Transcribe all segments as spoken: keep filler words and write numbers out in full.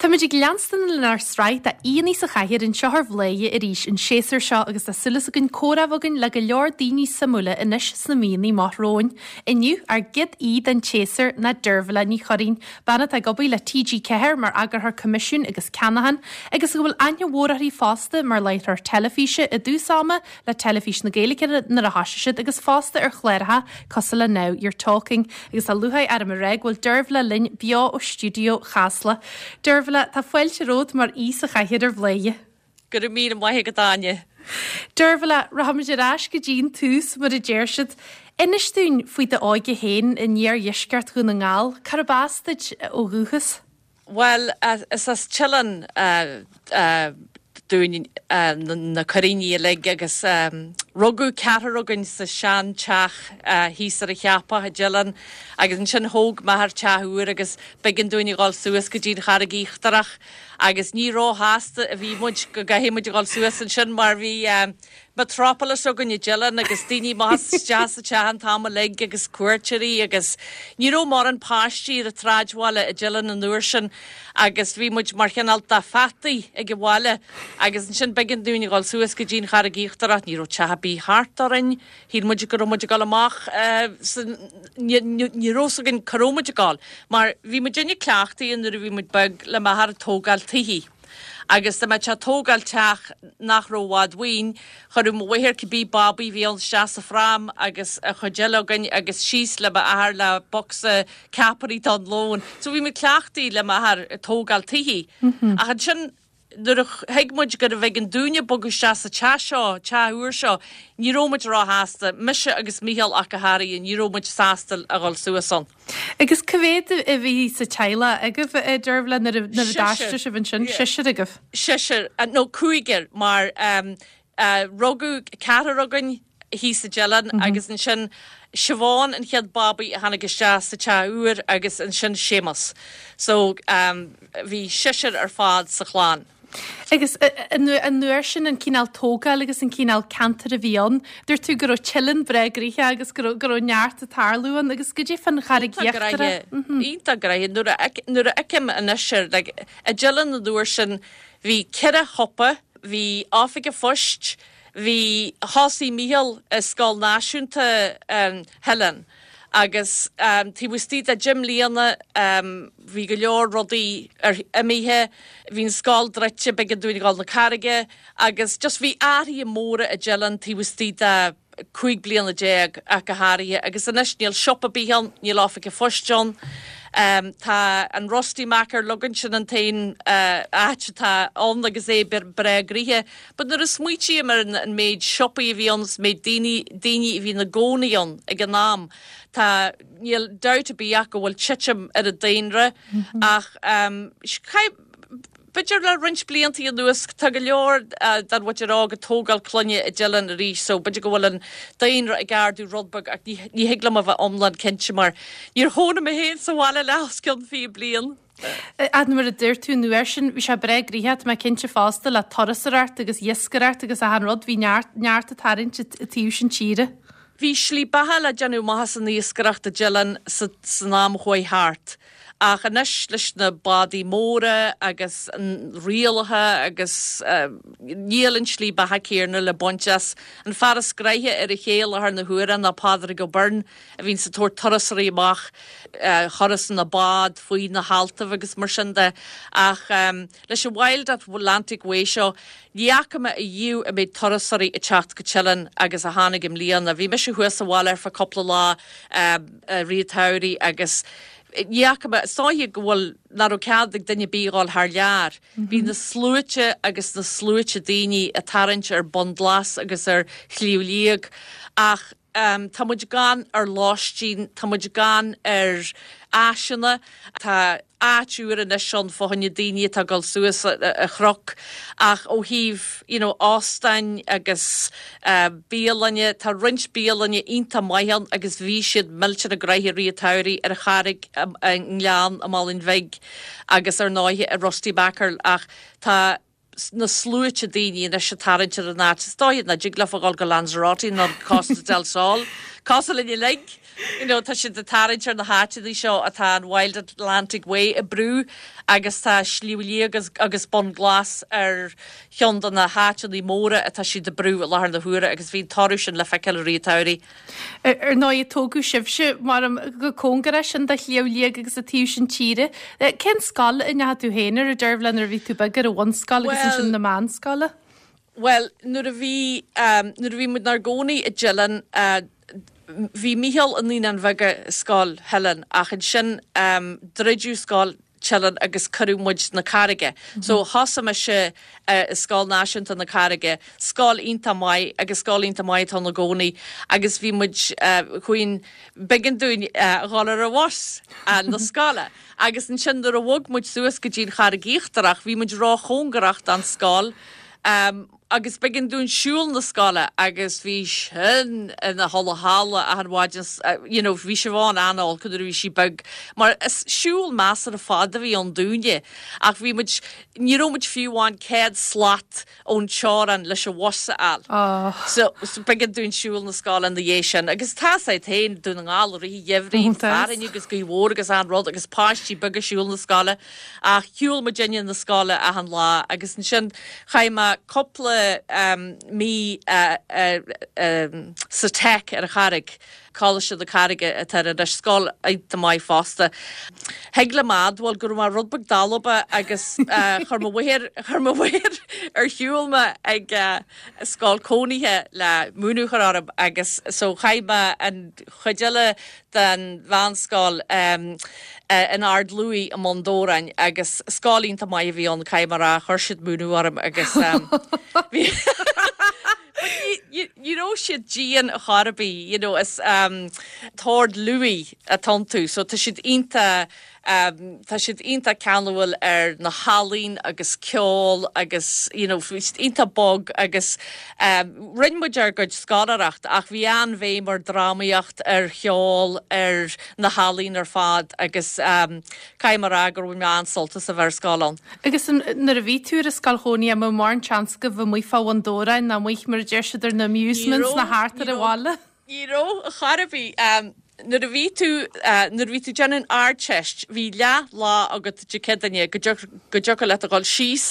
Táimid ag leanstan lenár sraith d'aíonna sa chathaoir anseo ar Bhladhaire arís an séasúr seo agus tá súil againn comhrá againn le go leor daoine suimiúla anois sna míonna amach romhainn. Inniu ár gcéad aoi den tséasúr ná Deirbhile Ní Churraoin, bean atá ag obair le TG Ceathair mar eagarthóir coimisiún agus ceannacháin, agus go bhfuil aithne mhór uirthi fosta mar láithreoir teilifíse i dtús ama le Teilifís na Gaeilge nuair a thosaigh siad agus fosta ar chláracha cosúil le Now You're Talking, agus tá lúcháir orm a rá go bhfuil Deirbhile linn beo ó stiúideo Chasla. Deirbhile tá fáilte romhat mar aoi sa chathaoir ar Bhladhaire. Go raibh míle maith agat Áine. Deirbhile rachaimid ar ais go dtí an tús mar a deir siad. Inis dúinn faoi d'óige féin in iardheisceart Dhún na nGall, Cárb as duit ó dhúchas? Well is as Teileann dúinn na Curraoinigh uilig agus rugadh ceathrar againn sa sean-teach thíos ar an Cheapach i dTeileann agus ansin thóg m'athair teach úr agus b'éigean dúinn a dhul suas go dtí an Charraig Íochtarach agus ní róshásta a bhí muid go gcaithfidh muid a dhul suas ansin mar bhí metropolis againn i dTeileann agus daoine amach isteach sa teach an t-am uilig agus cuairteoirí agus ní raibh mórán páistí ar an tsráidbhaile i dTeileann an uair sin agus bhí muid mar chineál de pheataí ag an bhaile agus ansin b'éigean dúinn a dhul suas go dtí an Charraig Íochtarach, ní raibh teach ar bith thart orainn, shíl muid go raibh muid ag dul amach ní raibh fhios againn cá raibh muid ag dul mar bhí muidinne cleachtaithe nuair a bhí muid beag le m'athair ag tógáil tithe. Agus dá mbeadh sé ag tógáil teach nach raibh i bhfad uainn, chuireadh mo mháthair cibé babaí a bhí ann isteach sa phrám agus an chuid eile againn agus síos le m'athair le bocsa ceapairí don lón. So bhí muid cleachtaithe le m'athair ag tógáil tithe. Ach ansin nuair a thuig muid gurbh éigean dúinne bogadh isteach sa teach seo, teach úr seo, ní raibh muid róshásta, mise agus Mícheál ach go háirithe, ní raibh muid sásta a dhul suas ann. Agus cá mhéad a bhí sa teaghlach agaibh a Deirbhile nuair a d'aistrigh sibh ansin, seisear agaibh? Seisear, nó cúigear mar rugadh ceathrar againn thíos i dTeileann agus ansin Siobhán an chéad babaí a tháinig isteach sa teach úr agus ansin Séamus. So bhí seisear ar fad sa chlann. Agus an uair sin an cineál tógáil agus an cineál ceantar a bhí ann, dúirt tú go raibh Teileann breá gnoitheach agus go raibh go raibh neart ag tarlú ann agus goidé fán Charraig Íochtarach. Iontach gnoitheach nuair a nuair a fheicim anois ar like i dTeileann an uair sin bhí ceithre shiopa, bhí oifig an phoist, bhí thosaigh Mícheál i Scoil Náisiúnta Theileann agus taobh istigh de deich mbliana bhí go leor rudaí ar imithe, bhí an scoil druidte, b'éigean dúinn a dhul na Carraige agus just bhí athruithe móra i dTeileann taobh istigh de cúig bliana déag ach go háirithe agus anois níl siopa ar bith ann, níl oifig an phoist ann. Tá an Rusty Mackerel againn, sin an t-aon áit atá ann agus é breá gnoitheach. But nuair a smaoitím ar an méid siopaí a bhí ann is méid daoine daoine a bhí ina gcónaí ann ag an am, tá níl dabht ar bith ach go bhfuil titim ar an daonra ach b'fhéidir le roinnt blianta anuas tá go leor den mhuintir óg ag tógáil clainne i dTeileann arís so b'fhéidir go bhfuil an daonra ag ardú rud beag ach ní ní thig liom a bheith iomlán cinnte mar níor chónaigh mé féin sa bhaile le os cionn fiche bliain. Ach mar a dúirt tú an uair sin bhí sé breá gnoitheach tá mé cinnte fosta le turasóireacht agus iascaireacht agus achan rud bhí neart neart ag tarraingt an taobh sin tíre. Bhí slí beatha le déanamh amach as an iascaireacht i dTeileann san am a chuaigh thart. Ach anois leis na bádaí móra agus an rialacha agus níl an tslí beatha céanna le baint as. An fear is gnoithí ar an ché i láthair na huaire ná Pádraig Ó Beirn a bhíonns ag tabhairt turasóirí amach thuras na bád faoi na haltaibh agus mar sin de. Ach leis an Wild Atlantic Way seo ní fhaca mé ariamh an méid turasóirí ag teacht go Teileann agus a tháinig i mbliana. Bhí mise thuas sa bhaile ar feadh cúpla lá i rith an tsamhraidh agus ní fhaca mé, is dóiche go bhfuil, nach raibh cead ag duine ar bith a dhul thar lear. Bhí na sluaite agus na sluaite daoine ag tarraingt ar Bun Glas agus ar Shliabh Liag ach tá muid gann ar lóistín, tá muid gann ar áiseanna, tá áit úr anois ann fá choinne daoine atá ag dul suas an chnoc ach ó thaobh you know óstáin agus bialainne, tá roinnt bialainne iontach maith ann agus bhí siad millteanach gnoitheach i rith an tsamhraidh ar an Charraig i nGleann i Málainn Bhig agus ar ndóighe i Rusty Mackerel ach tá na sluaite daoine anois ag tarraingt ar an áit. Is dóigh nach dtig leofa dhul go Lanzarote nó Costa del Sol Cosúil linn uilig, you know, tá siad ag tarraingt ar na háiteanna seo atá an Wild Atlantic Way ag brú agus tá Sliabh Liag agus, agus Bun Glas ar cheann de na háiteanna móra atá siad ag brú i láthair na huaire agus bhí toradh sin le feiceáil i rith an tsamhraidh. Ar ndóigh tógadh sibhse mar go cóngarach sin do Shliabh Liag agus an taobh sin tíre. Cén scoil a ndeachaigh tú féin ar a Deirbhile nuair a bhí tú beag ar an bhunscoil agus ansin na meánscoile? Well, nuair a bhí um, nuair a bhí muid inár gcónaí i Dillon, uh, bhí Mícheál i Naíonáin Bheaga Scoil Theilinn ach ansin um, druideadh Scoil Teileann agus cuireadh muid na Carraige. Mm -hmm. So thosaigh mise uh, Scoil Náisiúnta na Carraige, scoil iontach maith agus scoil iontach maith atá i gcónaí agus bhí muid uh, chuin b'éigean dúinn uh, dhul ar an bhus uh, na scoile. Agus ansin nuair a bhog muid suas go dtí an Charraig Íochtarach, bhí muid róchóngarach don scoil. Um, agus b'éigean dúinn siúl na scoile agus bhí sin ina halla achan mhaidin you know, bhí Siobhán an-olc nuair a bhí sí beag mar is siúl measartha fada a bhí ann dúinne ach bhí muid ní raibh muid fiú amháin céad slat ón teorainn leis an bhus a fháil. Oh. So, so b'éigean dúinn siúl na scoile na dhiaidh sin agus tá sé féin Dún na nGall i rith an gheimhridh fearthainn agus gaoth mhór agus an rud agus páistí beaga ag siúl na scoile ach shiúil muidinne na scoile achan lá agus ansin chaith mé cúpla um, mí uh, uh, um, sa Tech ar an Charraig. Coláiste na Carraige atá anois scoil iontach maith fosta. Thig liom a admháil go raibh mé rud beag dalba agus uh, chuir mo mháthair chuir mo mháthair ar shiúl mé ag uh, scoil cónaithe le múineadh a chur orm agus so chaith mé an chuid eile den mheánscoil um, uh, in Ard Lúí i mBun Dobhráin agus scoil iontach maith a bhí ann caithfidh mé a rá chuir siad múineadh orm agus um, bhí ní raibh siad dian a charbí you know, is um, tOrd Lúí atá iontu, so tá siad iontach um, tá siad iontach ceanúil ar na healaíona agus ceol agus you know, bhí siad iontach bog agus um, rinne muid ár gcuid scoláireacht ach bhí an-bhéim ar drámaíocht ar cheol ar na healaíona ar fad agus um, caithfidh mé a rá gur bhain mé an-sult as a bheith ar scoil ann. Agus nuair a bhí tú ar scoil chónaithe an mórán seans go bhfuil fá Bhun Dobhráin ná muich mar a deir siad ar na amusements na thart ar an bhaile. Ní raibh a charbí um, nuair a bhí tú uh, nuair a bhí tú déanamh an Ardteist bhí leath lá agat Dé Céadaoine go dtiocfadh leat a dhul síos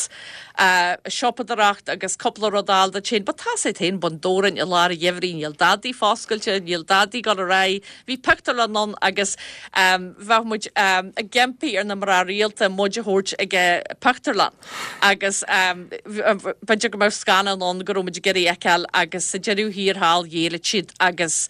uh, siopadóireacht agus cúpla rud a fháil duit féin, Ba tá sé féin Bun Dobhráin i lár an gheimhridh níl dadaí foscailte, níl dadaí ag dul ar aghaidh, bhí pictiúrlann ann agus um, bheadh muid um, ag impí ar na mná rialta muid a thabhairt ag pictiúrlann agus um, b'fhéidir go mbeadh scannán ann go raibh muid ag iarraidh a fheiceáil agus sa deireadh thiar thall ghéill siad agus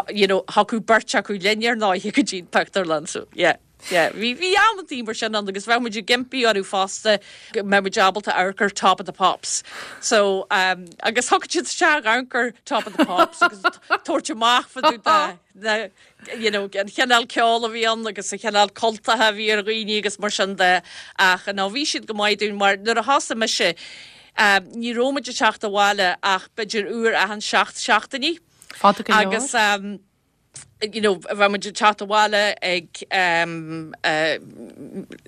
you know, thiocfadh beirt acu linn ar ndóigh go dtí pictiúrlann so yeah. Yeah, bhí bhí amantaí mar sin ann agus bheadh muid ag impí orthu fosta go mbeadh muid ábalta amharc ar Top of the Pops. So um, agus thug siad isteach amharc ar Top of the Pops agus tabhairt amach fa na you know, an chineál ceol a bhí ann agus an chineál cultaithe a bhí ar dhaoine agus mar sin de ach ná bhí siad go maith dúinn mar nuair a thosaigh mise um, ní raibh muid ag teacht abhaile ach b'fhéidir uair achan seacht seachtainí. Fada go leor. Agus um, you know, bheadh muid ag teacht abhaile ag um, uh,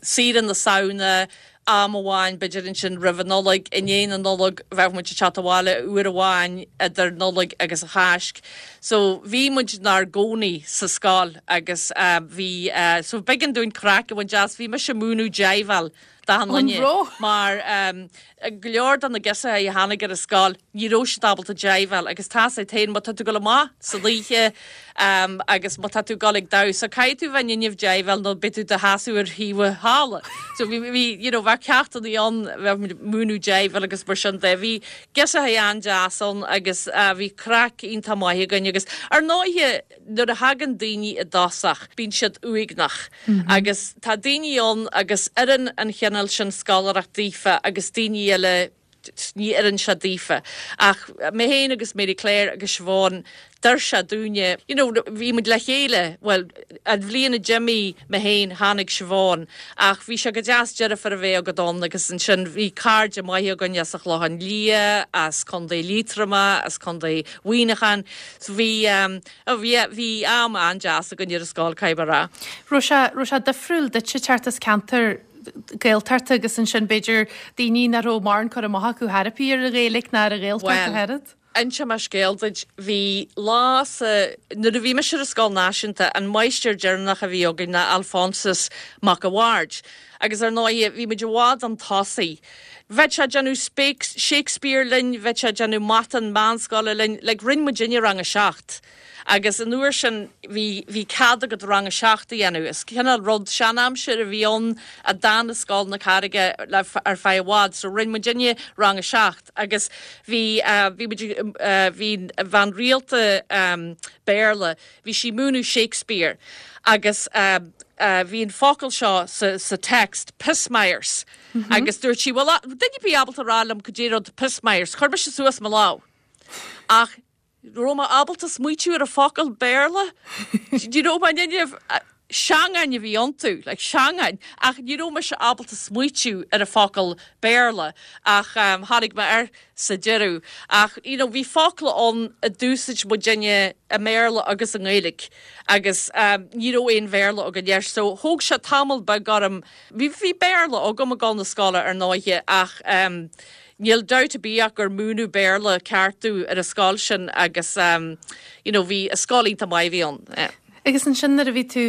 saoire na Samhna, am amháin b'fhéidir ansin roimh an Nollaig, i ndiaidh na Nollag bheadh muid ag teacht abhaile uair amháin idir Nollaig agus an Cháisc. So bhí muid inár gcónaí sa scoil agus uh, bhí uh, so b'éigean dúinn craic a bhaint as bhí mise ag múineadh jiveáil d'achan An duine raibh? mar um, go leor de na girseachaí a tháinig ar an scoil ní raibh siad ábalta jiveáil agus tá sé féin má tá tú ag dul amach san oíche um, agus má tá tú ag dul ag damhsa caithfidh tú bheith in ann jiveáil nó beidh tú i do sheasamh ar thaobh an halla. So bhí bhí you know, bheadh ceachtanna ann bheadh múineadh jiveáil agus mar sin de bhí girseachaí an-deas ann agus uh, bhí craic iontach maith againn agus ar ndóigh nuair a thagann daoine i dtosach bíonn siad uaigneach mm -hmm. agus tá daoine ann agus oireann an chineál sin scoláireacht daofa agus daoine eile ní oireann sé daofa. Ach mé féin agus Mary Claire agus Siobhán d'oir sé dúinne, you know, bhí muid le chéile, well, an bhliain a d'imigh mé féin tháinig Siobhán, ach bhí sé go deas deirfiúr a bheith agat ann agus ansin bhí cairde maithe againn as an Chlochán Liath, as Contae Liatroma, as Contae Mhuineacháin, so bhí um, oh, bhí bhí am an-deas againn ar an scoil caithfidh mé a rá. Raibh sé raibh sé difriúil duit teacht as ceantar Gaeltachta agus ansin b'fhéidir daoine nach raibh mórán cur amach acu thairbhe ar an Ghaeilge ná ar an Ghaeltacht Well, a herad. Inseoidh mé scéal duit bhí lá sa nuair a bhí mise ar an scoil náisiúnta an máistir deireanach a bhí againn ná Alphonsus Mac a' Bhaird. Agus ar ndóigh bhí muid i bhfad chun tosaigh. Bheadh sé ag déanamh Shakespeare linn, bheadh sé ag déanamh mata an mheánscoile linn, like rinne muidinne rang a seacht. Agus an uair sin bhí bhí cead agat rang a seacht a dhéanamh. Is cineál rud seanaimsir a bhí ann a d'fhan i Scoil na Carraige le ar feadh i bhfad, so rinne muidinne rang a seacht agus bhí uh, bhí muid uh, bhí bhean rialta um, Béarla, bhí sí múineadh Shakespeare agus uh, uh, bhí an focal seo sa, sa text pismires mm -hmm. agus dúirt sí well duine ar bith ábalta rá liom cad é rud pismires, chuir mise suas mo lámh. Ach raibh mé ábalta smaoitiú ar a focal Béarla Do you know my duine seangáin a bhí iontu, like seangáin, ach ní raibh mise ábalta smaoitiú ar a focal Béarla ach um, tháinig mé air sa deireadh. Ach you know, bhí focla ann a d'úsáid muidinne i mBéarla agus i nGaeilge agus um, ní raibh aon Bhéarla againn air, so thóg sé tamall beag orm bhí bhí Béarla agam ag dul na scoile ar ndóigh ach um, Níl dabht ar bith gur múineadh Béarla ceart dúinn ar an scoil sin agus um, you know, bhí a scoil iontach maith bhí ann. Yeah. Agus ansin nuair a bhí tú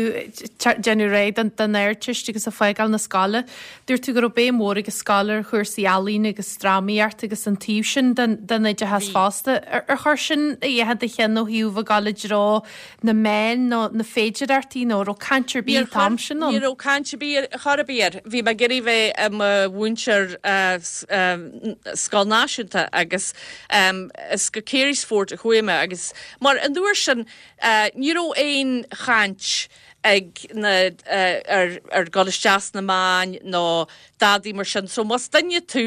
déanamh réidh don don Ardteist agus ag fágáil na scoile, dúirt tú go raibh béim mhór ag an scoil ar chúrsaí ealaíne agus drámaíocht agus an taobh sin den den oideachas fosta. Ar ar chuir sin a dhath do cheann ó thaobh ag dul i dtreo na meán nó na féidearthachtaí nó raibh caint ar bith an t-am sin Ní raibh caint ar bith chor ar bith air. Bhí mé ag iarraidh bheith i mo mhúinteoir uh, um, scoil náisiúnta agus um, is go Carysfort a chuaigh mé agus mar an uair sin uh, ní raibh aon chaint ag na uh, ar ar dul isteach sna meáin nó dadaí mar sin so más duine tú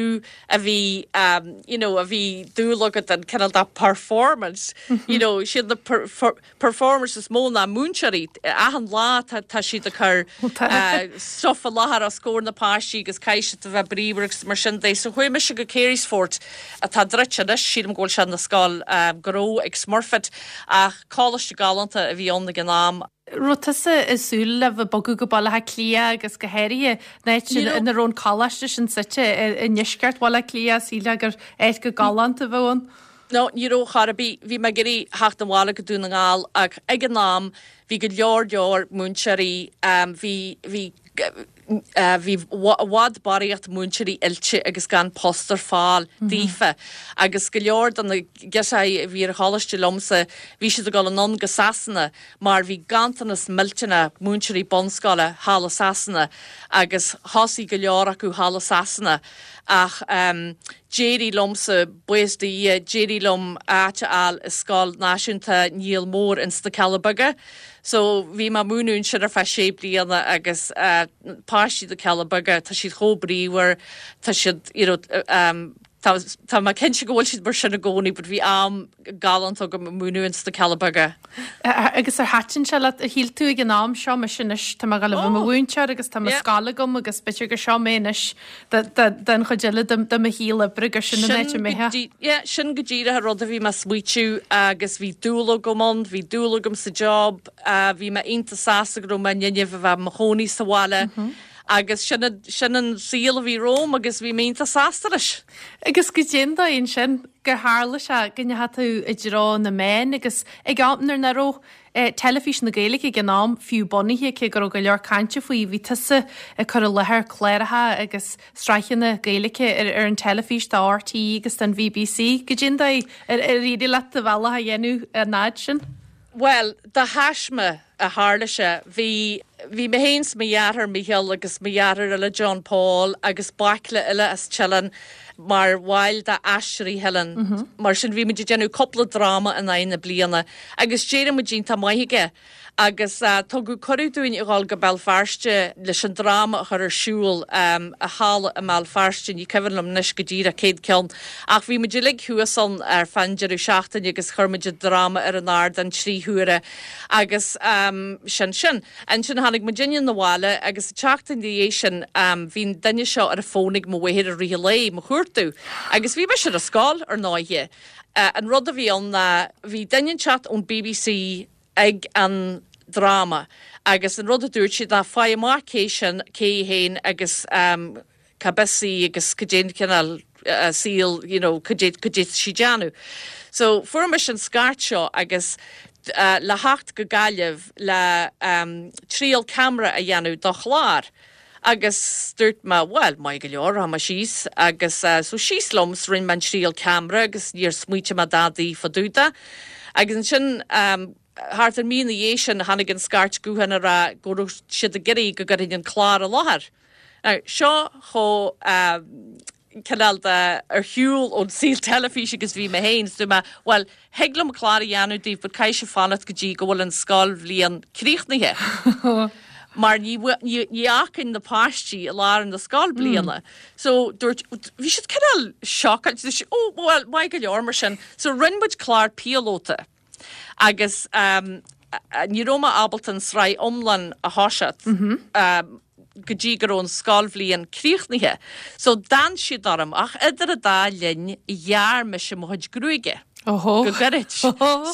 a bhí um, you know, a bhí dúil agat an cineál da performance mm -hmm. you know, siad na per, per, performers is mó ná múinteoirí achan lá tá tá siad ag cur uh, stuff i láthair os comhair na páistí agus caithfidh a bheith bríomhar agus mar sin de so chuaigh mise go Carysfort atá druidte anois sílim go bhfuil sé na scoil um, gnó ag Smurfit ach coláiste galánta a bhí ann ag an am Raibh tusa ag súil le bheith bogadh go Baile Átha Cliath agus go háirithe áit ina raibh an coláiste sin suite i ndeisceart Bhaile Átha Cliath síle gur áit go galánta bheadh ann. No, ní raibh chor ar bith bhí mé ag iarraidh theacht abhaile go Dún na nGall ach ag an am bhí go leor leor múinteoirí um, bhí bhí uh, bhí i bhfad barraíocht múinteoirí oilte agus gan post ar fáil mm -hmm. daofa agus go leor de na giosáí a bhí ar choláiste liomsa bhí siad ag dul anonn go Sasana mar bhí ganntanas millteanach múinteoirí bunscoile thall i Sasana agus thosaigh go leor acu thall i Sasana ach um, d'éirigh liomsa buíochas do Dhia d'éirigh liom áit a fháil i scoil náisiúnta Níl Mór in sna Cealla Beaga. So bhí mé ag múineadh ansin ar feadh sé bliana agus uh, páistí na Cealla Beaga tá siad chomh bríomhar tá siad you know, um, Tá tá mé cinnte go bhfuil siad mar sin i gcónaí, but bhí am galánta agam ag múineadh ins na Cealla Beaga. Agus ar thaitin sé leat a shíl tú ag an am seo mar sin anois tá mé ag dul a bheith i mo mhúinteoir agus tá mo scoil agam agus b'fhéidir gur seo mé anois den chuid eile de mo shaol oibre gur sin an áit a mbeidh. Sin go díreach an rud a bhí mé ag smaoitiú agus bhí dúil agam ann, bhí dúil agam sa job, bhí mé iontach sásta go raibh mé in ann a bheith i mo chónaí sa bhaile. Agus sin sin an saol a bhí romham agus bhí mé iontach sásta leis. Agus go dtéann sin gur tharla sé go ndeachaigh tú i dtreo na meán agus ag am nuair nach raibh eh, teilifís na Gaeilge ag an am fiú bunaithe cé go raibh go leor cainte faoi bhí tusa ag cur i láthair cláracha agus sraitheanna Gaeilge ar, ar an teilifís do RTÉ agus don BBC go dtéann ar ar éirigh leat do bhealach a dhéanamh an fhad sin. Well, de thaisme a tharla sé bhí bhí mé féin 's mo dheartháir Micheál agus mo dheartháir eile John Paul agus baicle eile as Teileann mar bhaill de Aisteoirí Theileann. Mm -hmm. Mar sin bhí muid ag déanamh cúpla dráma in aghaidh na bliana agus d'éirigh muid iontach maith aige. agus uh, tugadh cuireadh dúinn a dhul go Béal Feirste leis an dráma a chur ar siúl um, i halla i mBéal Feirste ní cuimhin liom anois go díreach cén ceann. Ach bhí muid uilig thuas ann ar feadh deireadh seachtaine agus chuir muid dráma ar an ardán trí huaire agus um, sin sin. Ansin tháinig muid na bhaile agus seachtain ina dhiaidh sin um, bhí duine seo ar a fón ag mo mháthair i rith an lae mo chuartú. Agus bhí mise ar scoil ar ndóigh. Uh, an rud a bhí ann ná bhí duine inteacht ón BBC ag an dráma agus an rud a dúirt siad ná faigh amach cé sin cé féin agus um, cá bhfios í agus go dén cineál saol you know, cad é sí déanamh. So fuair mise an scairt seo agus uh, le theacht go Gaillimh le um, triail ceamara a dhéanamh do chlár. Agus dúirt mé well maith go leor rachaidh mé síos agus uh, so síos liom 's rinne mé an triail ceamara agus níor smaointigh mé dadaí fá dtaobh de. Agus ansin um, thart ar mí ina dhiaidh sin tháinig an scairt gutháin a rá go raibh siad ag iarraidh go gcuirfinn an clár i láthair. Now, seo chomh um, cineál de ar shiúl ón saol teilifíse agus bhí mé féin, dúirt mé, well, thig liom clár a dhéanamh daoibh, but caithfidh sibh fanacht go dtí go bhfuil an scoilbhliain críochnaithe. Mar ní ní fhágfainn na páistí i lár na scoilbliana. Mm. So dúirt bhí siad cineál shocked, ó well, maith go leor mar sin. So rinne muid clár píolóta. Agus um, ní raibh mé ábalta an sraith iomlán a thoiseacht. Mm -hmm. um, go dtí go raibh an scoilbhliain críochnaithe. So d'fhan siad orm ach idir an dá linn ghearr mise mo chuid gruaige. Oho. Go gairid.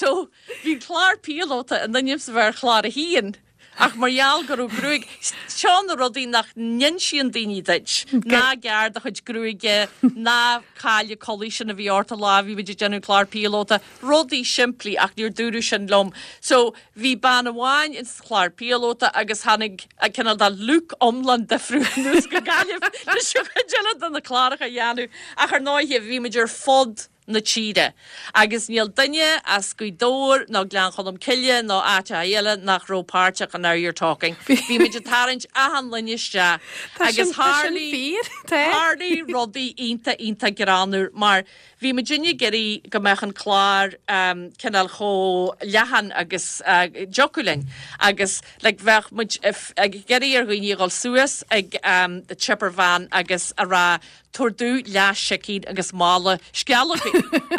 So bhí clár píolóta in ainm is a bheith ar chlár a haon. Ach mar gheall go raibh gruaig seo na rudaí nach n-insíonn daoine duit. Ná gearr do chuid gruaige, ná caill an chulaith sin a bhí ort an lá bhí muid ag déanamh clár píolóta, rudaí simplí ach níor dúradh sin liom. So bhí bean amháin in sa chlár píolóta agus tháinig a cineál de look iomlán difriúil anuas go Gaillimh leis an chuid eile de na cláracha a dhéanamh. Ach ar ndóigh bhí muid ar fud na tíre. Agus níl duine as Gaoth Dobhair ná Gleann Cholm Cille ná áit eile nach raibh páirteach in Now You're Talking. Bhí muid ag tarraingt achan duine isteach agus tharla rudaí iontach iontach greannmhar mar bhí muid ag iarraidh go mbeadh an clár um, cineál chomh leathan agus uh, dtiocfadh linn agus like, bheadh muid ag iarraidh ar dhaoine dhul suas ag um, the chipper van agus a rá tabhair domh leath-sicín agus mála sceallógaí.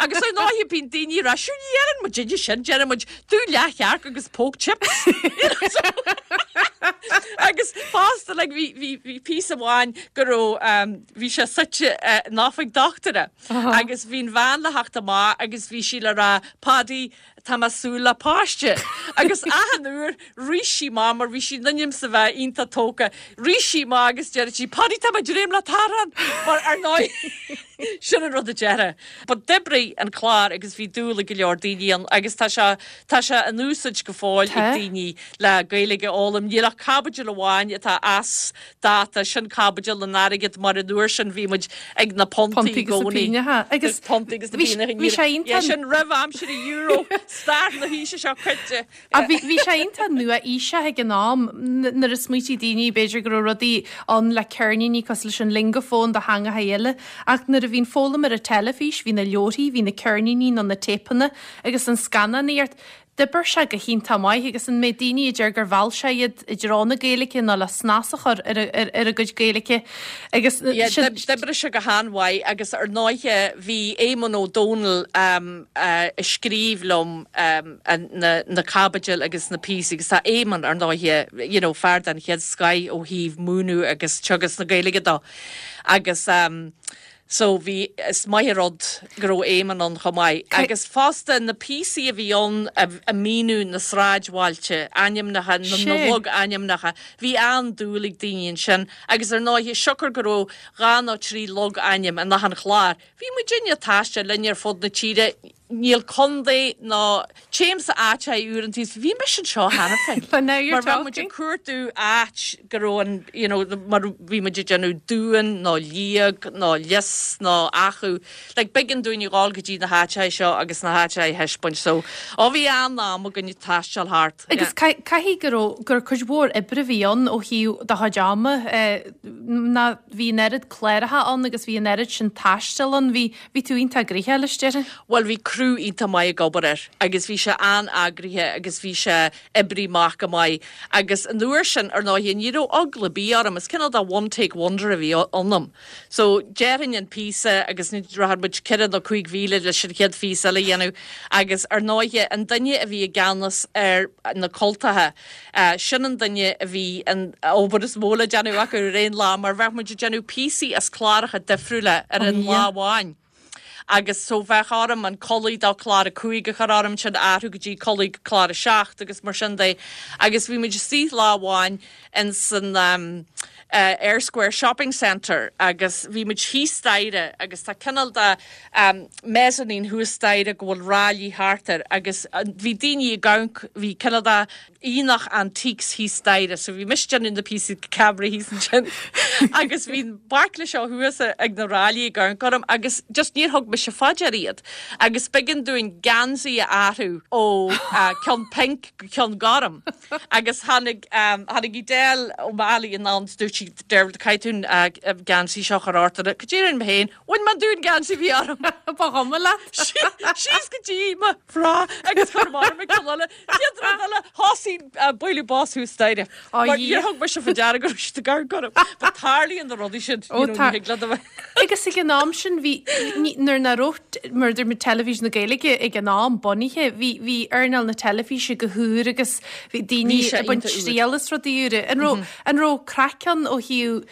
Agus ar ndóigh bíonn daoine rá sure ní dhéanann muid duine sin déanann muid domh leathchearc agus póg chips. You know, so- agus fosta like, bhí bhí bhí píosa amháin go raibh um, bhí sé suite uh, in oifig dochtúra agus bhí an bhean le theacht amach agus bhí sí le rá Paddy tá mé súil le páiste. Agus achan uair rith sí amach mar bhí sí in ainm is a bheith iontach tógtha. Rith sí amach agus deir sí Paddy tá mé ag dréim le t-arán mar ar ndóigh sin an rud a deireadh. But d'oibrigh an clár agus bhí dúil ag go leor daoine ann agus tá sé tá sé in úsáid go fóill Tá. ag daoine le Gaeilge a fhoghlaim. Níl ach caibidil amháin atá as dáta sin caibidil an airgead mar an uair sin bhí muid ag na puntaí Puntaí agus na i gcónaí. pingneacha. Agus Agus puntaí agus na bhí sé- pingneacha. bhí sé iontach- sin roimh aimsir an euro stair na haoise seo caite. A bhí bhí sé iontach nua-aoiseach ag an am n- nuair a smaoitigh daoine b'fhéidir go raibh rudaí ann le ceirníní cosúil leis an Lingophone do theangacha eile, ach nuair a bhíonn foghlaim ar an teilifís, bhí na leabharthaí, bhí na ceirníní nó na téipeanna agus an scannánaíocht, d'oibrigh sé go hiontach maith agus an méid daoine a deir gur mheall sé iad i dtreo na Gaeilge ná le snas a chur ar a- ar ar a gcuid Gaeilge agus Yeah, sin- d'oibrigh sé go han-mhaith agus ar ndóigh bhí Éamonn Ó Dónaill um, uh, a scríobh liom um, an- na, na caibidil agus na píosaí agus tá Éamonn ar ndóigh you know, fear den chéad scoth ó thaobh múineadh agus teagasc na Gaeilge dó. Agus um, so bhí is maith rud go raibh Éamonn ann chomh maith. Agus fosta na píosaí a bhí ann a, a míniú na sráidbhailte, ainmneacha na, na Sé. logainmneacha, bhí an-dúil ag daoine ansin, agus ar ndóigh siocair go raibh dhá nó trí logainm in achan chlár. Bhí muid ag taisteal linn ar fud na tíre, níl contae ná téim sa áit uaireanta, bhí mise anseo cheana féin. But now you're Mar bheadh muid talking. ag cuartú áit go raibh an you know, mar bhí muid ag déanamh Dún nó Liag nó Lios nó Achadh. Like b'éigean dúinn a ghabháil go dtí na háiteacha seo agus na háiteacha a thaispeáint so ó bhí an-am againn ag taisteal thart. Agus caithfidh go raibh gur cuid mhór oibre a bhí ann ó thaobh do chuid ama eh, ná bhí an oiread cláracha ann agus bhí an oiread sin taistil ann, bhí bhí tú iontach gnoitheach leis déarfainn. Well bhí crew iontach maith ag obair air agus bhí sé an-eagraithe agus bhí sé oibrithe amach go maith agus an uair sin ar ndóigh ní raibh eagla ar bith orm is cineál de one take wonder a bhí ionam. So déarfainn an píosa agus ní raibh muid ceithre nó cúig mhíle leis an chéad phíosa eile a dhéanamh agus ar ndóigh an duine a bhí i gceannas ar na cultacha uh, sin an duine a bhí an obair is mó le déanamh acu ar aon lá mar bheadh muid ag déanamh píosaí as cláracha difriúla ar an yeah. lá amháin. Agus so bheadh orm an culaith do chlár a cúig a chur orm sin athrú go dtí culaith chlár a seacht agus mar sin de. Agus bhí muid istigh lá amháin in san um, uh, Eyre Square Shopping Centre agus bhí muid thíos staighre agus tá cineál de um, mezzanine thuas staighre go bhfuil ráillí thart air agus uh, bhí daoine ag amharc bhí cineál de aonach antiques thíos staighre, so bhí mise déanamh na píosaí cabra thíos ansin agus bhí baicle seo thuas ag na ráillí ag amharc orm agus just níor thug mise faoi deara iad. agus b'éigean dúinn geansaí a athrú ó uh, ceann pink go ceann gorm. agus tháinig um, tháinig Edel O'Malley in ann dúirt sí Dermot caithfidh tú uh, geansaí seo a chur ort go dtí mé féin, bhain man dún geansaí bhí orm. Ba chuma leat? Síos go dtí mo bhra agus chu mar me eile eile thosaigh bualadh bos thuas staighre. Níor thug mise faoi deara go raibh gar gorm, Ba tarlaíonn na rudaí sin Agus ag an am sin bhí nuair nach raibh mar mar teilifís na Gaeilge ag an am bunaithe bhí bhí earnáil na teilifíse go húr agus bhí daoine ag baint triail as rudaí úra. An raibh an raibh craic ann ó thaobh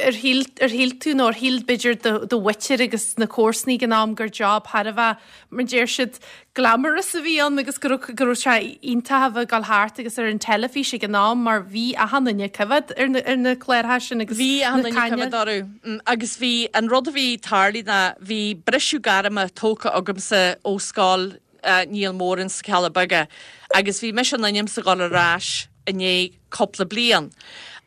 ar shíl ar shíl tú nó ar shíl b'fhéidir do mhuintir agus na comharsana ag an am gur job thar a bheith mar deir siad glamorous a bhí ann agus go raibh sé iontach a bheith ag dul thart agus ar an teilifís ag an am mar bhí achan duine ag coimhéad ar na, ar na cláracha sin agus Bhí achan duine coimhéad orthu mm, agus bhí an rud a bhí tarlaí ná bhí briseadh gairme tógtha agamsa ó scoil uh, Niall Moran sna Cealla Beaga agus bhí mise in ainm is a dhul ar ais i ndiaidh cúpla bliain.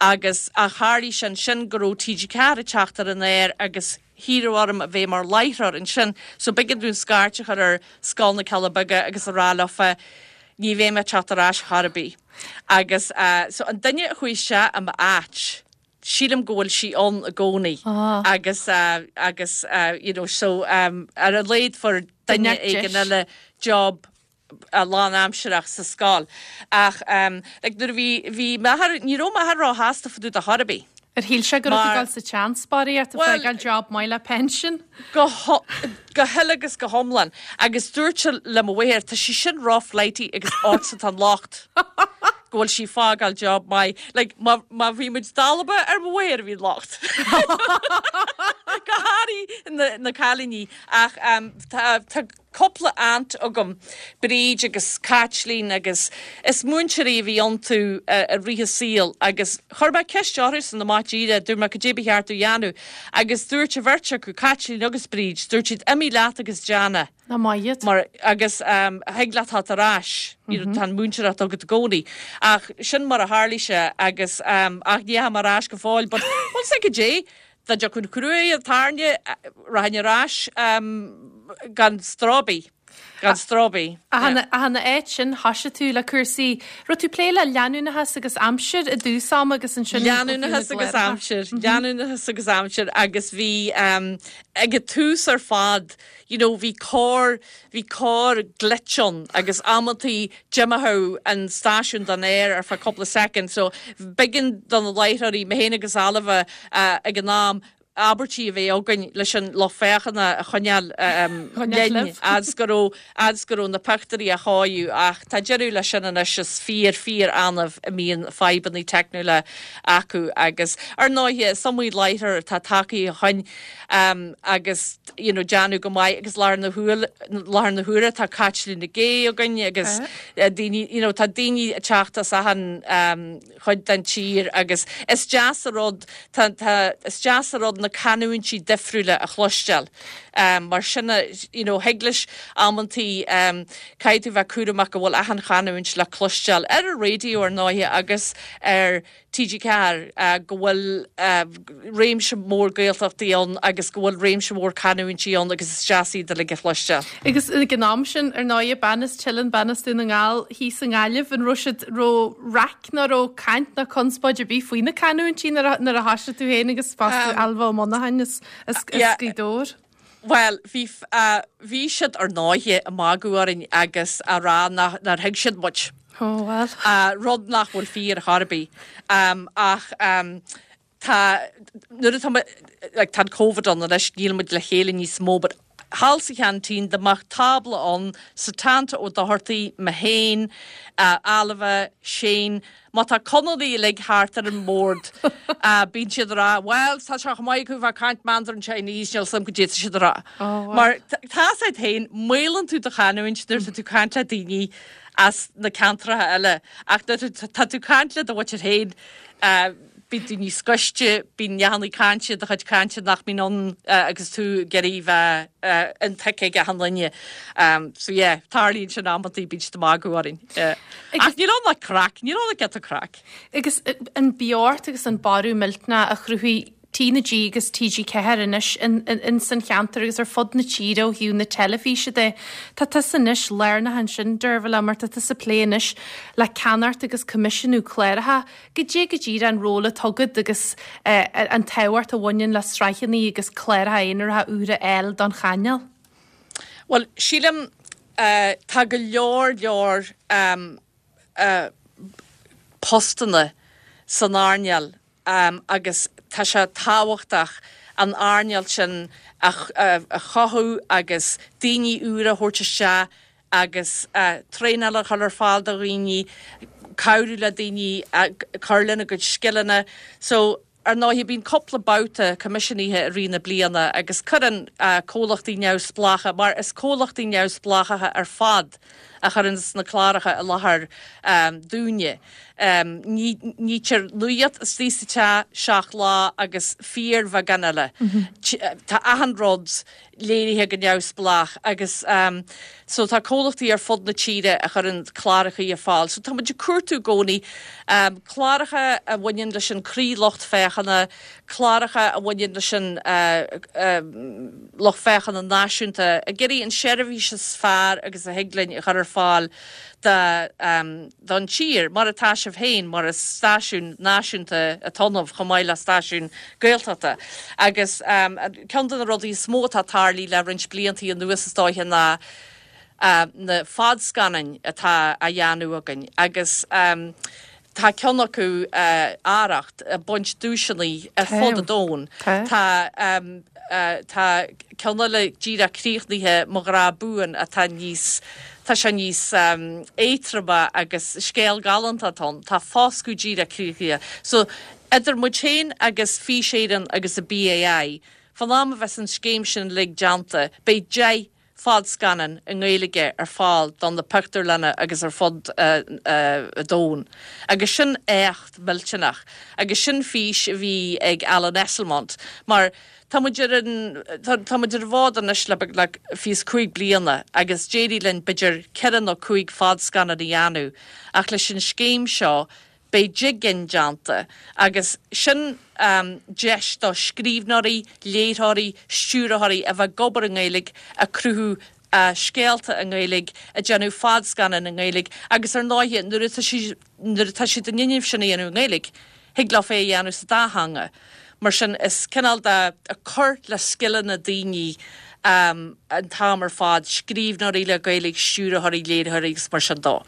Agus a tharla sin sin go raibh TG Ceathair ag teacht ar an aer agus hiarradh orm a bheith mar láithreoir ansin, so b'éigean dúinn scairt a chur ar Scoil na Cealla Beaga agus a rá leofa ní bheidh mé ag teacht ar ais chor ar bith. Agus uh, so an duine a chuaigh isteach i m'áit, sílim go bhfuil sí ann i gcónaí Ah. agus uh, agus uh, you know, so um, ar a laghad fuair duine éigin eile job a lánaimsearach sa scoil. Ach um, like, nuair a bhí bhí m'athair ní raibh m'athair róshásta fá dtaobh de chor ar bith. Ar shíl sé go Mar- raibh tú sa tseanspáiríocht a Well- fáil job maith le pension? go ho- go huile agus go hiomlán agus dúirt sé le mo mháthair tá sí sin ró-flighty agus ortsa atá an locht. go bhfuil sí ag fágáil job maith like, má má bhí muid dalba ar mo mháthair a bhí locht. Go háirithe na, na cailíní ach um, tá, tá cúpla aunt agam Bríd agus Caitlín agus is múinteoirí a bhí iontu uh, i rith a saoil agus chuir mé ceist orthu san na mátíre dúirt mé cad é ba cheart dom a dhéanamh agus dúirt an bheirt acu Caitlín agus Bríd dúirt siad imigh leat agus déan. Ná maith Mar agus um, thig leat teacht ar ais mm -hmm. tá múinteoireacht agat i gcónaí ach sin mar a tharla sé agus um, ach ní mar ais go fóill, but well sé go dé Tá de chun cruúí a tairne rain arás um, gan stróbí gan stróbí. A hana éit sin thosaigh tú le cúrsaí raibh tú ag plé le leanúnachas agus aimsir i dtús ama agus ansin Leanúnachas agus aimsir, leanúnachas agus aimsir agus bhí um, ag an tús ar fad, you know, bhí cór bhí cór glitch ann agus amantaí d'imeodh an stáisiún den aer ar feadh cúpla second, so b'éigean do na láithreoirí mé féin agus Ailbhe uh, ag an am abairtí a bheith againn leis an lucht féachana a choinneáil Choinneáil libh. as go raibh as go raibh na pictiúirí á chaitheamh ach tá deireadh leis sin anois is fíor fíor annamh a mbíonn fadhbanna teicniúla acu agus ar ndóigh is iomaí láithreoir atá tagtha ó shin um, agus you know, déanamh go maith agus láthair na láthair na huaire tá Caitlín Nic Aoidh againn agus uh, daoine you know, tá daoine ag teacht as achan um, chuid den tír agus is deas an rud tá, tá, is deas an rud na canúintí difriúla a chloisteáil. Um, mar sin you know, thig leis amantaí um, caithfidh tú bheith cúramach go bhfuil achan chanúint le cloisteáil ar an raidió ar ndóigh agus ar TG Ceathair uh, go bhfuil uh, réimse mór Gaeltachtaí ann agus go bhfuil réimse mór canúintí ann agus is deas iad uilig a chloisteáil. Agus ag an am sin ar ndóigh bean as Teileann bean as Dún na nGall thíos i nGaillimh an raibh siad ró-raic ná ró caint ná conspóid ar bith faoi na canúintí nuair a thosaigh tú féin agus fosta Ailbhe Ó Monacháin as Yeah. Gaoth Dobhair. Well, bhí uh, bhí siad ar ndóigh ag magadh orainn agus á rá nár thuig siad muid. Oh, well. Uh, rud nach bhfuil fíor chor ar bith. Um, ach um, tá nuair atá like, tá COVID ann leis níl muid le chéile níos mó, but thall sa cheaintín dá mbeadh tábla ann Setanta Ó Dochartaigh mé féin, uh, Ailbhe, Shane, má tá Conallaigh uilig thart ar an mbord uh, bíonn siad rá, well tá sé maith go bheith caint Mandarin Chinese níl sam go dé siad rá. Oh, wow. Mar tá sé féin maolann tú do chanúint nuair atá tú caint le daoine as na ceantracha eile ach nuair tá tú caint le do mhuintir féin uh, Bíonn tú níos gaiste, bíonn neachannaí cainte do chuid cainte nach mbíonn ann agus tú ag iarraidh bheith intuigthe ag achan duine. So yeah, tarlaíonn sin amantaí, bíonn siad ag magadh orainn. Ach níl ann ach craic, níl ann ach giota craic. Agus an beocht agus an borradh millteanach a chruthaigh T na G agus T G ceathair anois ins an cheantar agus ar fud na tíre ó thaobh na teilifíse de. Tá tusa anois lárnach ansin, Deirbhile, mar tá tusa ag plé anois le ceannacht agus coimisiúnú cláracha. Goidé go díreach an ról atá agat agus an tábhacht a bhaineann le sraitheanna agus cláracha aonaracha úra a fháil don chainéal? Bhuel, sílim tá go leor leor postanna san earnáil agus tá sé tábhachtach an earnáil sin a chothú agus daoine úra a thabhairt isteach agus traenáil a chur ar fáil do dhaoine, cabhrú le daoine cur lena gcuid scileanna. So, ar ndóigh, bíonn cúpla babhta coimisiúnaithe i rith na bliana agus cuireann comhlachtaí neamhspleácha, mar is comhlachtaí neamhspleácha ar fad a chuireann na cláracha i láthair dúinne. Nítear nuacht istigh sa teach seacht lá agus fíorbheagán eile. Tá achan rud léirithe go neamhspleách agus so tá comhlachtaí ar fud na tíre a chuireann cláracha ar fáil. So tá muid ag cuartú i gcónaí cláracha a bhaineann leis an croí-lucht féachana, cláracha a bhaineann leis an lucht féachana náisiúnta, ag iarraidh an seirbhís is fearr agus a thig linn a chur ar fáil don tír, mar atá sibh féin, mar is stáisiún náisiúnta atá ionaibh chomh maith le stáisiún Gaeltachta. Agus ceann de na rudaí is mó atá tarlaithe le roinnt blianta anuas is dóiche ná na fadscannáin atá á dhéanamh againn agus tá ceann acu, Arracht, ag baint duaiseanna ar fud an domhain. Tá tá ceann eile díreach críochnaithe, Mo Ghrá Buan, atá níos, tá sé níos éadtroime agus scéal galánta atá ann. Tá Foscadh díreach críochnaithe. So, idir muid féin agus Fís Éireann agus an B A I, fan am a bheas an scéim sin uilig déanta, beidh deich fadscannán i nGaeilge ar fáil don na pictiúrlanna agus ar fud an domhain. Agus sin éacht millteanach. Agus sin fís a bhí ag Alan Esslemont. Mar tá muid ar an tá muid ar an bhfód anois le beagnach fiche is cúig bliana agus d'éirigh linn b'fhéidir ceithre nó cúig fadscannán a dhéanamh ach leis an scéim seo beidh deich gcinn déanta agus sin deis do scríbhneoirí, léiritheoirí, stiúrthóirí a bheith ag obair i nGaeilge, ag cruthú scéalta i nGaeilge, ag déanamh fadscannán i nGaeilge agus ar ndóighe nuair atá siad nuair atá siad in innimh sin a dhéanamh i nGaeilge, thig leo é a dhéanamh sa dá theanga. Mar sin is cineál de cur le scileanna daoine an t-am ar fad, scríbhneoirí le Gaeilge, stiúrthóirí, léiritheoirí agus mar sin dó.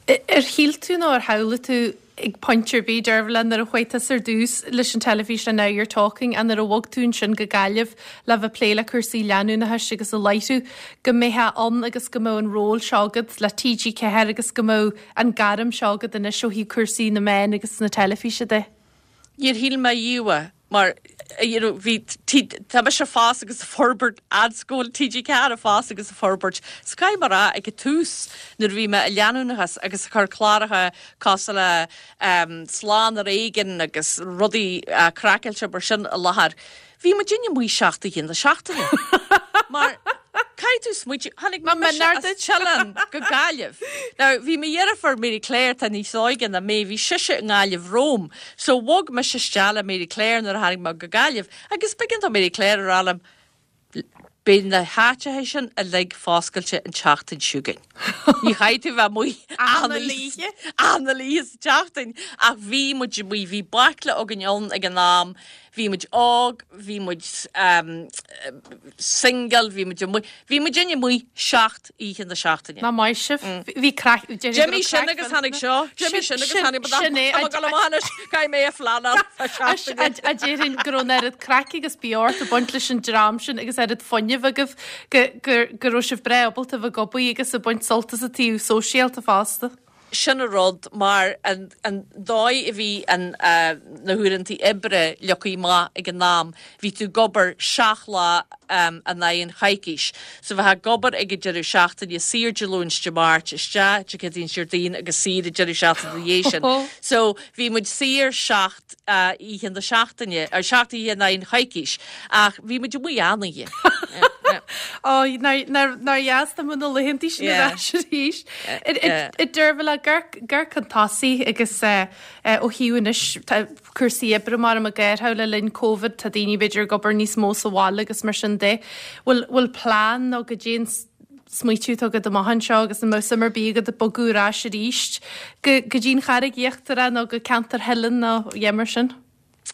Ar shíl tú nó ar shamhlaigh tú ag pointe ar bith, Deirbhile, nuair a chuaigh tusa ar dtús leis an teilifís le Now You're Talking a nuair a bhog tú ansin go Gaillimh le bheith plé le cúrsaí leanúnachais agus a láithriú, go mbeifeá ann agus go mbeadh an ról seo agat le T G ceathair agus go mbeadh an gairm seo agat anois ó thaobh cúrsaí na meán agus na teilifíse de? Níor shíl mé riamh mar you know, bhí tá mise ag fás agus ag forbairt fhad T G ceathair ag fás agus ag forbairt. So caithfidh mé a rá ag an tús nuair a bhí mé i leanúnachas agus ag cur cláracha cosúil le um, Slán ar Éigean agus rudaí uh, craiceáilte mar sin i láthair. Bhí muid amuigh seacht oíche na seachtaine. Mar caithfidh tú smaointiú tháinig mise Teileann go Gaillimh. Now bhí mo dheirfiúr Mary Claire tá níos óige ná mé, bhí sise i nGaillimh romham, so bhog mise isteach le Mary Claire nuair a tháinig mé go Gaillimh, agus b'éigean do Mary Claire a rá liom, Beidh na háiteacha sin uilig foscailte an tseachtain seo chugainn. Ní chaithfidh tú bheith amuigh achan oíche sa tseachtain ach bhí muid amuigh, bhí baicle againn ann ag an am, bhí muid óg, bhí muid um, single, bhí muid amuigh, bhí muid amuigh seacht oíche na seachtaine. Ná maith sibh. Bhí craic D'imigh sin agus tháinig seo, d'imigh sin agus tháinig Sin é, Caithfidh mé a phleanáil A déarfainn go raibh an oiread craic agus beocht ag baint leis an dream sin agus oiread fuinnimh agaibh go go go raibh sibh breá ábalta bheith ag obair agus ag baint sult as an taobh sóisialta fosta. Sin an rud mar an, an dóigh a bhí an, uh, na huaireantaí oibre leagtha amach ag an am, bhí tú ag obair seacht lá um, in aghaidh an choicís. So bheifeá ag obair ag an deireadh seachtaine saor Dé Luain Dé Máirt isteach Dé Céadaoin Déardaoin agus saor an deireadh seachtaine ina dhiaidh sin. So bhí muid saor seacht uh, oíche na seachtaine ar seacht oíche in aghaidh an choicís ach bhí muid amuigh achan oíche. Ó nár dheas dá mbeadh na laethantaí sin ar ais arís. A Deirbhile gur chun tosaigh agus ó thaobh anois cúrsaí oibre mar a déarfá le linn Covid tá daoine b'fhéidir ag obair níos mó sa bhaile agus mar sin de. Bhfuil bhfuil plean nó goidé an smaoitiú atá agat amach anseo agus an mbeadh suim ar bith agat bogadh ar ais arís go go dtí an Charraig Íochtarach nó go ceantar Theileann nó a mar sin?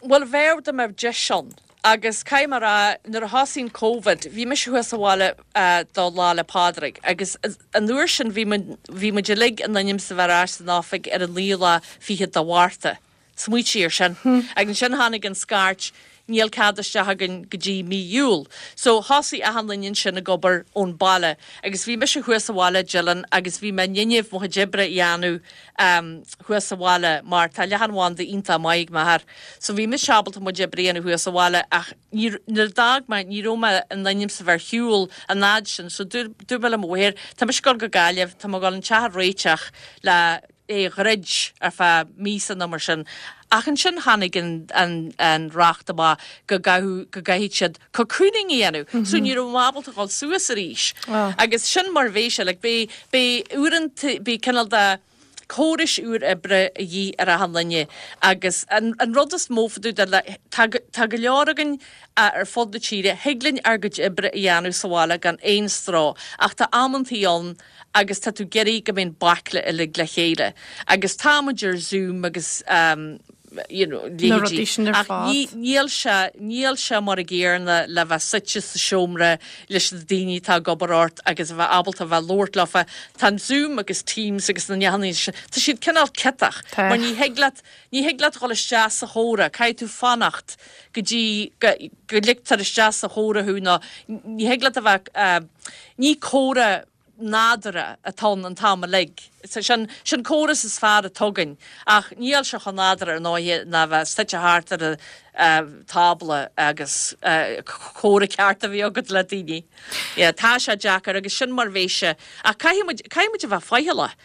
Well bheadh dá mbeadh deis ann. Agus caithfidh mé a rá nuair a thosaigh Covid, bhí mise thuas sa bhaile uh, do Lá 'le Pádraig, agus an uair sin bhí muid uilig in ainm is a bheith ar ais san oifig ar an naoú lá fichead de Mhárta. Smaoitigh ar sin. Hmm. Agus sin tháinig an scairt níl cead isteach againn go dtí mí Iúil. So thosaigh achan duine sin ag obair ón baile, agus bhí mise thuas sa bhaile Dylan agus bhí mé in innimh mo chuid oibre a dhéanamh um, thuas sa bhaile mar tá leathanbhanda iontach maith ag m'athair. So bhí mise ábalta mo chuid oibre a dhéanamh thuas sa bhaile ach nuair a d'fhág mé ní raibh mé in ainm is a bheith ar shiúl an fhad sin, so dúirt mé le mo mháthair, tá mise ag dul go Gaillimh, tá mé ag dul an teach a réiteach le é a dhruid ar feadh míosa nó mar sin. Ach ansin tháinig an, an, an reacht amach go go gcaithfidh siad cocooning a dhéanamh. Mm -hmm. So ní raibh mé ábalta dul suas arís. Oh. Agus sin mar bhí sé, like, bhí uaireanta bhí cineál de córais úr oibre a dhíth ar achan duine agus an, an rud is mó fá dtaobh de tá, tá go leor againn ar fud na tíre, thig linn ár gcuid oibre a dhéanamh sa bhaile gan aon stró, ach tá amantaí ann agus tá tú ag iarraidh go mbeidh an baicle uilig le chéile. Agus tá muid ar Zoom agus um, you know, Na rudaí sin ar ach fad. ní- níl sé níl sé mar a gcéanna le bheith suite sa seomra leis na daoine atá ag obair ort agus a bheith ábalta a bheith labhairt leofa. Tá an Zoom agus Teams agus na neannaí sin, tá siad cineál ciotach, Tá. mar ní thig leat ní thig leat dhul isteach sa chomhrá, caithfidh tú fanacht go dtí go go ligtear isteach sa chomhrá thú nó ní thig leat a bheith uh, ní comhrá nádúrtha atá an t-am uilig. Sin sin córas is fearr atá againn ach níl sé chomh nádúrtha ar ndóigh ná bheith suite thart ar a uh, tábla agus uh, comhrá ceart a bhí agat le daoine. Yeah, tá sé deacair agus sin mar bhí sé ach caithfidh muid a bheith faichilleach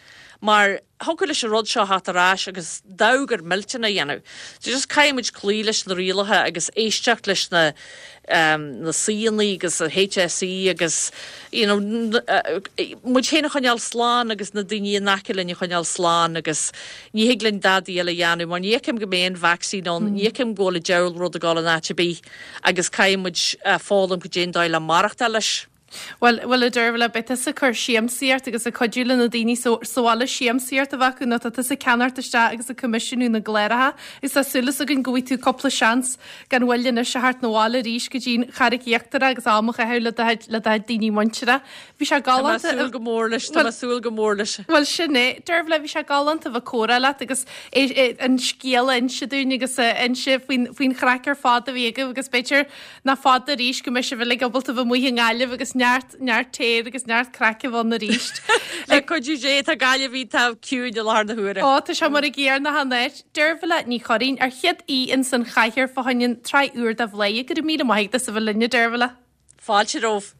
mar thiocfadh leis an rud seo theacht ar ais agus daogar millteanna a dhéanamh. So just caithfidh muid cloí leis na rialacha agus éisteacht leis na um, na saoine agus a HSE agus you know, uh, muid féin a choinneáil slán agus na daoine in aice linn a choinneáil slán agus ní thig linn dadaí eile a dhéanamh, mar ní fheicim go mbeidh an vaccine ann, ní fheicim go bhfuil an diabhal rud ag dul in áit ar bith agus caithfidh muid uh, foghlaim goidé an dóigh le maireachtáil leis. Well well a Deirbhile beidh tusa ag cur siamsaíocht agus ag cuidiú le na daoine sa bhaile siamsaíocht a bheith acu nó tá tusa ag ceannacht isteach agus ag coimisiúnú na gcláracha is tá súil againn go bhfaighidh tú cúpla seans gan mhoill anois a theacht 'na bhaile arís go dtí'n Charraig Íochtarach agus am a chaitheamh le le do daoine muinteartha. Bhí sé galánta súil go mór leis Tá súil go mór leis. Well sin é Deirbhile bhí sé galánta bheith ag comhrá leat agus é, é, an scéal a inse dúinn agus inse faoin faoin chraic ar fad a bhí agaibh agus b'fhéidir nach fada arís go mbeidh sibh uilig ábalta bheith amuigh i nGaillimh agus neart neart téir agus neart craic ann arís. Le cuidiú Dé tá Gaillimh tá ciúin i láthair na huaire. Ó tá sé mar a gcéanna achan áit Deirbhile Ní Churraoin ár chéad aoi ins an chathaoir fá choinne an tsraith úr de Bhladhaire go raibh míle maith agat as a bheith linn Deirbhile. Fáilte romhat.